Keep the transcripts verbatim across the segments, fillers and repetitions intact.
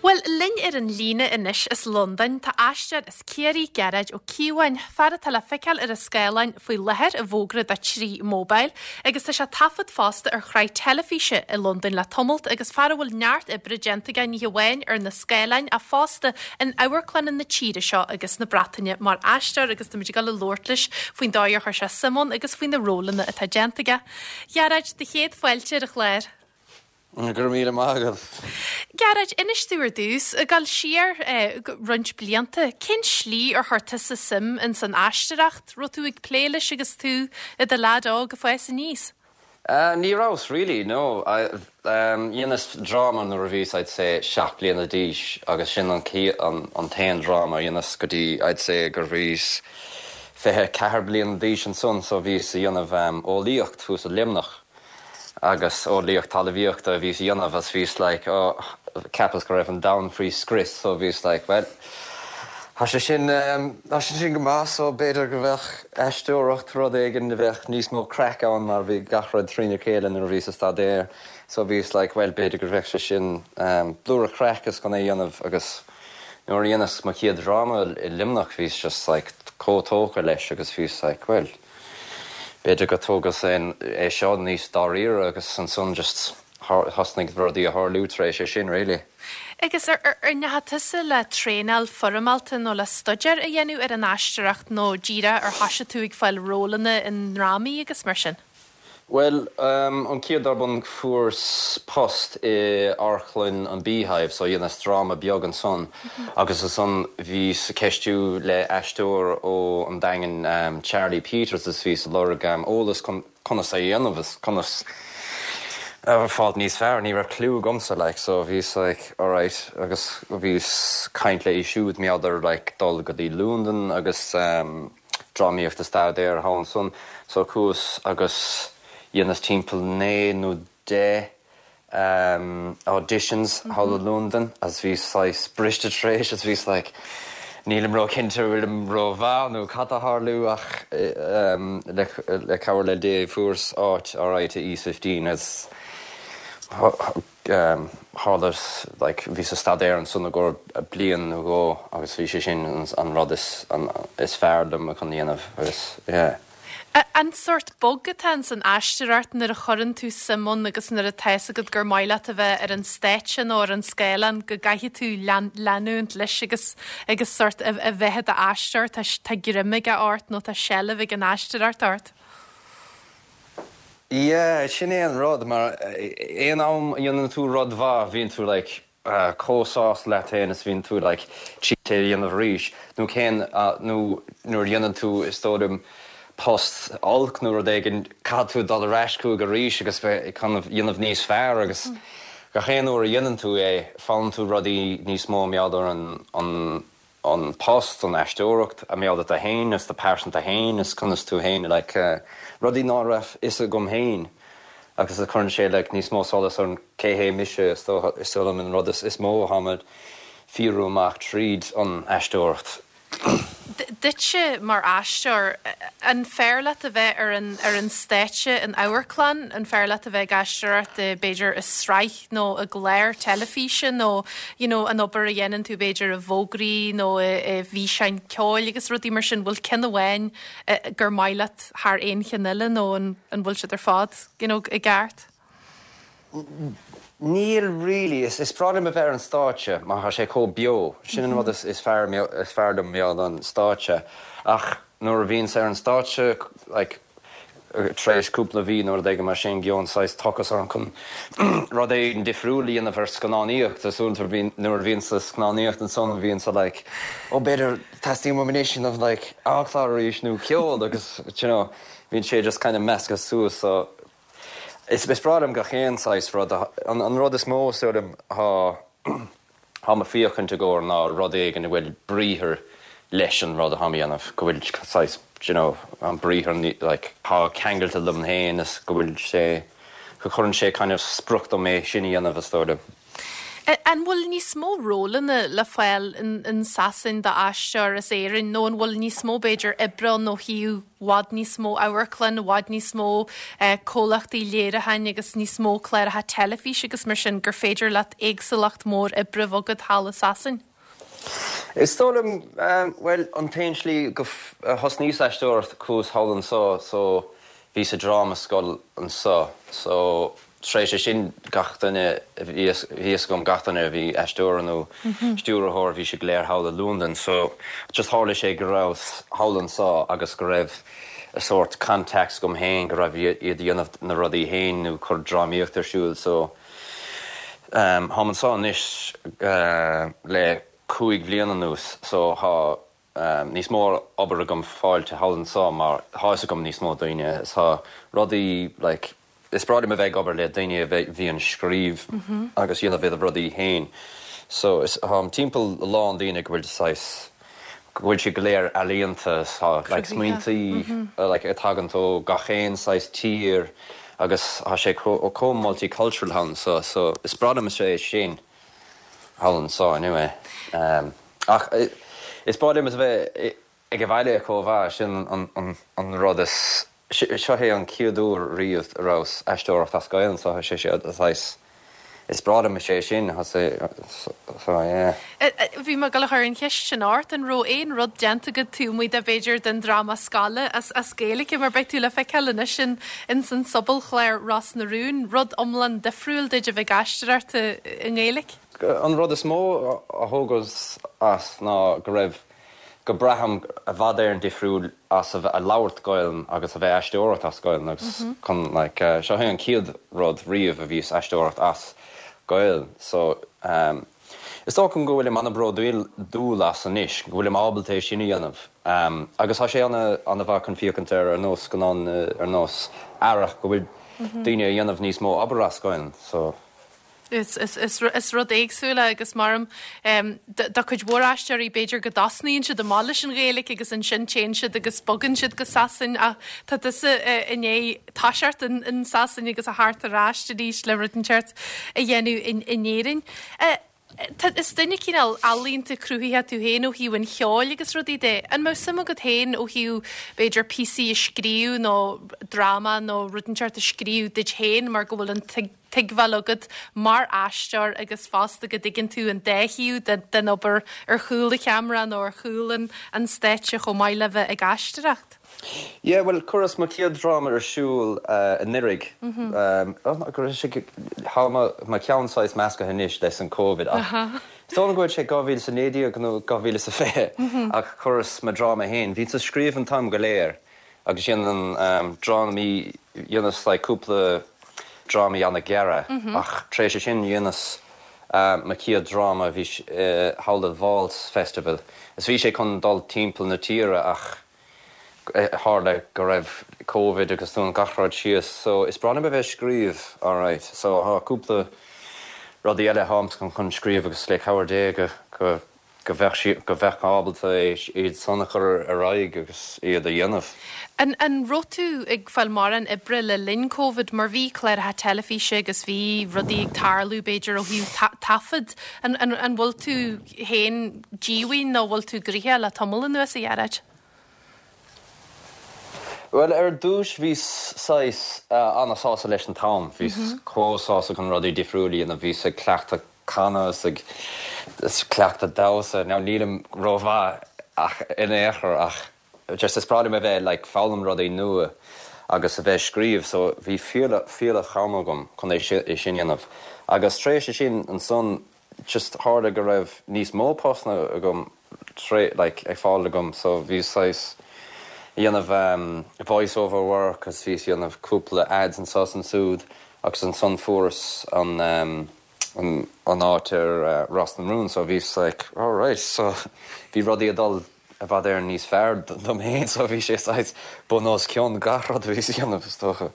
Well linn ar an líne anois as Londain tá aisteoir as Ciarraí Gearóid Ó Cíobháin, fear atá le feiceáil ar an scáileán faoi láthair i bhfógra do Three Mobile, agus tá sé taifead fosta ar shraith teilifíse i Londain le tamalt agus fear a bhfuil neart oibre déanta aige ní hamháin ar na scáileáin ach fosta in amharclanna na tíre seo agus na Breataine mar aisteoir agus táimid ag dul a labhairt leis faoin dóigh ar chuir sé suim ann agus faoi na rólanna atá déanta aige. Gearóid do chéad fáilte ar an chlár. Gur míle mágah. Gearóid inis dúinn ar dtús ag dul siar eh, roinnt blianta, cén slí ar chuir tusa suim in san aisteoireacht, raibh tú ag plé leis agus tú i do leaid óg ag fás aníos. Uh, ní raibh really no I, um, dhéanas dráma nuair a bhíos I'd say seacht bliana d'aois agus sin an an, an t-aon dráma dhéanas go dtí I'd say gur bhíos fiche ceathair bliana d'aois ansan so bhíos ag déanamh um, eolaíocht thuas i Luimneach. agus eolaíocht talmhaíochta bhíos ag déanamh as bhíos like oh, cheapas go raibh an domhan faoi scrios so bhíos like well Tá sé sin um, Tá sé sin go maith so b'fhéidir go bheadh aisteoireacht rud éigin a bheadh níos mó craic ann mar bhí gach rud trína chéile nuair a bhíos ag staidéar so bhíos like well b'fhéidir go bheadh sé sin um, blúire craic is chun é dhéanamh agus nuair a dhéanas mo chéad dráma i Luimneach bhíos just like chomh tógtha leis agus bhíos like well b'fhéidir go dtógas é seo níos dáiríre agus ansan just thosnaigh rudaí a tharlú tar éis é sin really. Agus ar ndeachaigh tusa le traenáil foirmeálta nó le staidéar a dhéanamh ar an aisteoireacht nó díreach ar thosaigh tú ag fáil rólanna i ndrámaí agus mar sin. Well um, an chéad darbon fuaireas post i amharclann an Beehive so dhéanas dráma beag ansan mm -hmm. agus ansan bhíos ag ceistiú le aisteoir ó an Daingean um, Charlie Peters is bhíos ag lorg um, eolas conas a dhéanamh is conas fáil níos fearr ní raibh clue agamsa like so bhíos like alright agus bhíos ag caint leis siúd maidir like dul go dtí Londain agus um, drámaíocht a staidéar ansan so chuas agus dhéanas timpeall naoi nó deich um, auditions mm -hmm. thall i Londain as bhí briste tar éis as bhíos like, nílim ró-chinnte bhfuilim rómhaith nó cad a tharla ach um, le, le cabhair le Dé fuaireas áit alright i East Fifteen as um, tharla like, bhíos ag staidéar ansan go bliain nó dhó agus bhí sé sin an, an rud is, an, is fearr liom a chun dhéanamh agus yeah. An sórt bug atá san aisteoireacht nuair a chuireann tú suim ann agus nuair atá a fhios agat gur maith leat a bheith ar an stáitse nó ar an scáileán go gcaithfidh tú leanúint leis agus agus sórt a bheith i d'aisteoir tá greim aige ort nó tá seilbh ag an aisteoireacht ort. Yeah, sin é an rud mar aon am a dhéanann tú rud mhaith bhíonn tú like uh, chomh sásta leat féin is bhíonn tú like te dhéanamh arís nó cén uh, nó nuair dhéanann tú is dóigh liom post olc nó rud éigin caithfidh tú dul ar ais chuige arís agus bheith chun dhéanamh níos fearr agus mm. gach aon uair a dhéanann tú é foghlaimíonn tú rudaí níos mó maidir an, an, an post an aisteoireacht a maidir tú féin is do pearsanta féin is conas tú féin like, uh, rudaí ná raibh fhios agam féin agus a chuireann sé like, níos mó solas ar an cé hé mise is is an rud is, is mó a fiafraím amach tríd an aisteoireacht. Duitse mar aisteoir an fearr leat a bheith ar an ar an stáitse in amharclann an fearr leat a bheith ag aisteoireacht b'fhéidir i sraith nó i gclár teilifíse nó you know, an obair a dhéanann tú b'fhéidir i bhfógraí nó i bhfíseáin ceoil agus rudaí mar sin bhfuil ceann amháin gur maith leat thar aon cheann eile nó an, an bhfuil siad ar fad you know, i gceart? Níl really is is breá liom a bheith ar an stáitse mar tá sé chomh beo sin an rud is, is fearr is fearr dom an stáitse ach nuair a bhíonn ar an stáitse like, tar éis cúpla mhí nuair a mar sin gíonn tochas ar an chun rud éigin difriúil a dhéanamh ar scannánaíocht a nuair bhíonn sa scannánaíocht ansan bhíonn sa like, ó b'fhéidir teastaíonn uaim of like, amharclann arís nó ceol agus you know, bhíonn sé just kind of measctha suas so Is is breá liom gach aon saghas rud an, an rud is mó liom tá tá mé ag féachaint i gcónaí ná rud éigin a bhfuil briathar leis an rud atá á dhéanamh go bhfuil saghas you know, an briathar like, tá ceangailte liom féin is go bhfuil sé go chuireann sé kind of sprioc dom é sin a dhéanamh is dóigh liom. An bhfuil níos mó rólanna le fáil in, in Sasain d'aisteoir as Éirinn nó an bhfuil níos mó b'fhéidir oibre nó i bhfad níos mó amharclann, i bhfad níos mó eh, comhlachtaí léiriúcháin agus níos mó cláracha teilifíse agus mar sin gur féidir leat éagsúlacht mór oibre bhogadh thall i Sasain? Is dóigh liom um, well an t-aon slí go thosnaíos aisteoireacht chuas thall anseo so bhí sa dráma scoil anseo so tar éis sin gach duine bhí gom gach duine a bhí aisteoir nó mhm. stiúrthóir bhí sé go léir thall i Londain so just tharla sé go raibh thall anseo agus go raibh a sort contacts agam féin go raibh iad déanamh na rudaí féin nó cur drámaíocht ar siúl so um, tháim anseo anois uh, le cúig bliana anuas so tá um, níos mó obair agam fáilte thall anseo mar tá agam níos mó daoine tá rudaí like, is breá liom a bheith ag obair le daoine a bhíonn scríobh mm -hmm. agus dhéanamh bhéad rudaí féin. So is um, timpeall lán daoine go bhfuil sais go bhfuil sé go léir ealaíonta like, smaointí mm -hmm. uh, like, tagann ó gach aon saghas tír agus tá sé chomh multicultural ann so so is breá liom sé sin thall anseo anyway. Um, ach is breá liom a bheith ag an bhaile chomh sin an, an, an rud is seo é an chéad uair riamh a rabhas aisteoireacht as Gaeilge so sé sé is breá liom sé sin Bhí me go chur an cheist sin ort an raibh aon rud déanta agat tú muid a b'fhéidir den dráma scoile as as Gaeilge mar beidh tú le feiceáil anois sin in san sobalchlár Ros na Rún, rud iomlán difriúil duit a bheith aisteoireacht i nGaeilge? An rud is mó a thógas as ná go raibh go braithim i bhfad Éireann difriúil as a bheith a labhairt Gaeilge agus a bheith aisteoireacht as Gaeilge agus mm -hmm. chun like, uh, seo an chéad rud riamh a bhíos aisteoireacht as Gaeilge so um, Is dócha go bhfuil an-bhródúil dúil as anois, go bhfuil ábalta é sin a dhéanamh. Um, agus tá sé an an-mhaith chun féachaint ar ar nós go ar nós aireach go bhfuil mm -hmm. daoine a dhéanamh níos mó obair as Gaeilge so Is, is, is, is rud éagsúla agus maram um, do chuid mhór aisteoirí b'fhéidir go dtosnaíonn siad amach leis an Ghaeilge agus ansin téann siad agus bogann siad go Sasain a tá tusa inné táiseart in, in Sasain agus a thart ar ais arís le rud inteacht a dhéanamh in, in Éirinn. Uh, Is duine cineál ealaíonta cruthaithe tú féin ó thaobh an cheoil agus rudaí de. An mbeadh suim agat féin ó thaobh b'fhéidir píosaí a scríobh nó dráma nó rud inteacht a scríobh duit féin mar go bhfuil an tuigbheáil agat mar aisteoir agus fosta go dtuigeann tú an dá thaobh den obair ar chúl an cheamara nó ar chúl an an stáitse chomh maith le bheith ag aisteoireacht. Yeah, well chuireas mo chéad dráma ar siúl uh, anuraidh mm -hmm. um, tá mo cheann saghas measctha anois leis an COVID ach Stó go sé dhá mhíle a naoi déag nó dhá mhíle sa fiche ach chuireas mo dráma féin, Bhí ag scríobh an t-am go léir agus sin an um, drámaí dhéanas le cúpla drámaí an-ghearr mm -hmm. ach tar éis sin dhéanas uh, mo chéad dráma bhí uh, thall Vaults Festival. Is bhí sé chun dul timpeall na tíre ach tharla go raibh COVID agus tú an gach rud síos, so is breá liom a bheith scríobh alright. So tá cúpla rudaí eile tháim chun chun scríobh agus le cabhair Dé go go go bheith go bheith ábalta iad san a chur ar aghaidh agus iad a dhéanamh. An, an raibh tú ag fáil mórán oibre le linn COVID mar bhí cláracha teilifíse agus bhí rudaí ag tarlú b'fhéidir ó thaobh taifead an, an, an bhfuil tú féin díomhaoin nó bhfuil tú gnoitheach le tamall anuas a Ghearóid? Well ar dtús bhí saghas uh, an-sásta leis an t-am, bhí mm -hmm. chomh sásta chun rudaí difriúla a bhí ag cleachtadh canadh ag cleachtadh damhsa ná nílim rómhaith ach in échar ach just is breá liom a bheith like, foghlaim rudaí nua agus a bheith scríobh, so bhí fuíollach ama agam chun é sin dhéanamh. Agus tar éis sin ansan just tharla go raibh níos mó postanna agam tré like, ag fáil agam, so bhí saghas dhéanamh um, voice over work agus bhí dhéanamh cúpla ads anseo ansiúd agus ansan fuaireas an um, an, an áit ar uh, Ros na Rún, so bhí like, all right, so bhí rudaí ag dul i bhfad Éireann níos fearr dom féin so bhí sé saghas bun os cionn gach rud a bhí a dhéanamh is dócha.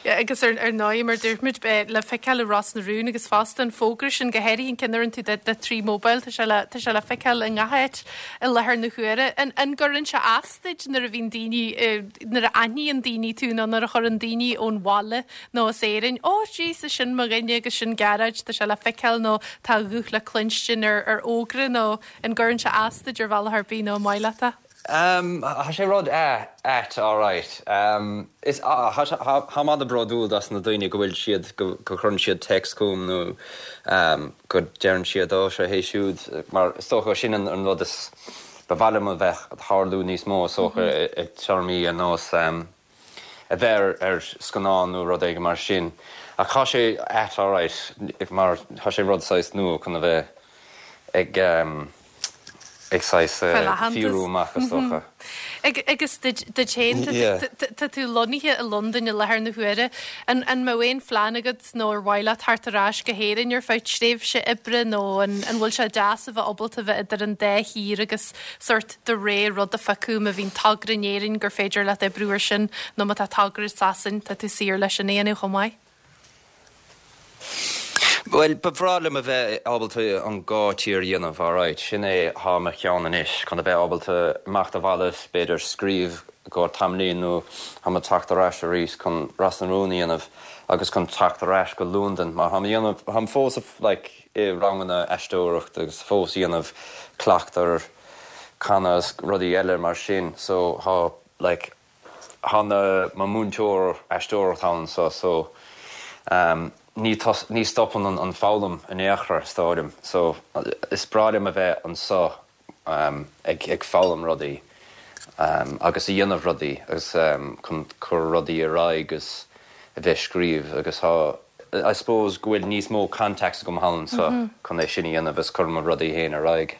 Agus ar ar ndóigh mar dúirt muid le feiceáil i Ros na Rún agus fosta an fógra sin go háirithe an ceann a rinne tú de trí mobile tá sé le tá sé le feiceáil i ngach áit i láthair na huaire. An an gcuireann sé as duit nuair a bhíonn daoine nuair a aithníonn daoine tú nó nuair a chuireann daoine ón bhaile nó as Éirinn, ó Jesus sin mo dhuine agus sin Gearóid tá sé le feiceáil nó tá a ghuth le cluinstin ar ar fhógra nó an gcuireann sé as duit ar bhealach ar bith nó maith leat é? Um, Tá sé rud ait alright. Um, is táim an-bhródúil as na daoine go bhfuil siad go gcuireann siad text chugam nó um, go deireann siad ó sé hé siúd mar is dócha sin an, an rud is ba mhaith liom a bheith tarlú níos mó socha ag téarmaí an nós um, a bheith ar scannán nó rud éigin mar sin. Ach tá sé ait alright mar tá sé rud saghas nua chun a bheith ag um, ag saghas fiú amach is dócha. Agus duit féin tá tú lonnaithe i Londain i láthair na huaire an an mbeadh aon phlean agat nó ar mhaith leat teacht ar ais go hÉirinn ar feadh tréimhse oibre nó an an bhfuil sé deas a bheith ábalta bheith idir an dá thír agus sort de réir rud a phiocadh má bhíonn togra in Éirinn gur féidir leat oibriú air sin nó má tá togra i Sasain tá tú saor leis an éanú chomh maith. Well ba bhreá liom a bheith ábalta an dhá tír a dhéanamh alright, sin é atá i mo cheann anois chun a bheith ábalta imeacht abhaile b'fhéidir scríobh go tamaillín nó tá mé teacht ar ais arís chun Ros na Rún a dhéanamh agus chun teacht ar ais go Londain mar tá dhéanamh táim fós like, i ranganna aisteoireacht agus fós dhéanamh cleachtar canadh rudaí eile mar sin so tá like, tá mo mhúinteoir aisteoireacht ann so so um, ní ní stopann an, an foghlaim in aon chor stáidim, so is breá liom a bheith anseo um, ag, ag foghlaim rudaí um, agus a dhéanamh rudaí agus um, chun cur rudaí ar aghaidh agus a bheith scríobh agus tá I suppose go bhfuil níos mó contacts agam anseo mm -hmm. chun é sin a dhéanamh is cur mo rudaí féin ar aghaidh.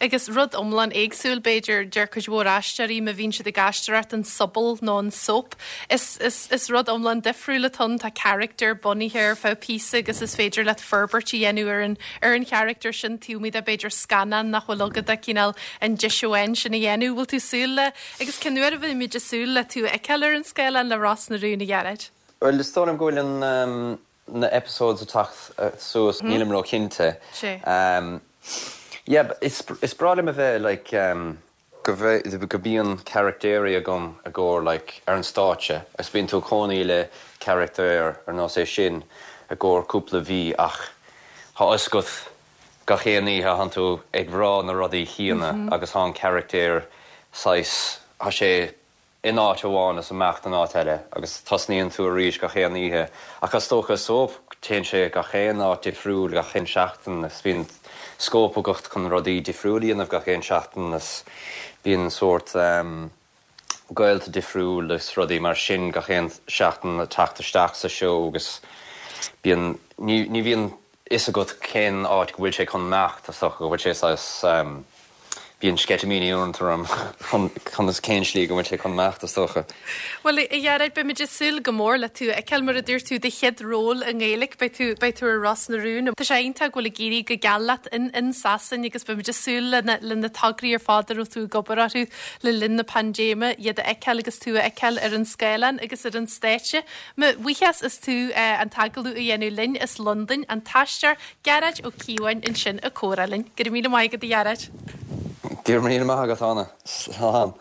Agus rud iomlán éagsúil b'fhéidir deir cuid mhór aisteoirí má bhíonn siad ag aisteoireacht an sobal nó an soap. Is, is, is rud iomlán difriúil atá tá character bunaithe ar feadh píosa agus is féidir leat forbairt a dhéanamh ar an ar an character sin tuí a b'fhéidir scannán nach bhfuil agat a cineál an deis sin a dhéanamh bhfuil tú súil le agus cén uair a bheimid ag súil le tú a fheiceáil ar an scáileán le Ros na Rún a Ghearóid. Well is dóigh liom go bhfuil an um, na episodes ag teacht uh, suas mm. nílim ró-chinnte. Um, yeah, is, is breá liom a bheith like, um, go go bíonn caractéirí agam a gcóir like, ar an stáitse is bíonn tú cónaí le character ar nós é sin i gcomhair cúpla mhí ach tá a fhios agat gach aon oíche tánn tú ag rá na rudaí céanna mm -hmm. agus tá an character saghas tá sé in áit amháin is amach an áit eile agus tosnaíonn tú arís gach aon oíche ach is dócha soap téann sé gach aon áit difriúil gach aon seachtain is bíonn scóip agat chun rudaí difriúil a dhéanamh gach aon seachtain is bíonn sort um, gaolta difriúil is rudaí mar sin gach aon seachtain a teacht isteach sa seó agus bíonn ní, ní bhíonn fhios agat cén áit go bhfuil sé chun imeacht is go bhfuil sé um, bíonn sceitimíní orm chun is cén slí go bhfuil sé chun imeacht is dócha. Well a Ghearóid beimid ag súil go mór le tú a fheiceáil mar a dúirt tú do chéad ról i nGaeilge beidh tú beidh tú ar Ros na Rún. Tá sé iontach go bhfuil ag éirí go geal leat in in Sasain agus beimid ag súil le le na tograí ar fad a raibh tú ag obair orthu le linn na paindéime iad a fheiceáil agus tú a fheiceáil ar an scáileán agus ar an stáitse. Mo bhuíochas as tú uh, an t-agallamh a dhéanamh linn as Londain an t-aisteoir Gearóid Ó Cíobháin ansin ag comhrá linn. Go raibh míle maith agat a Ghearóid. Go raibh míle maith agat Anna. Slán.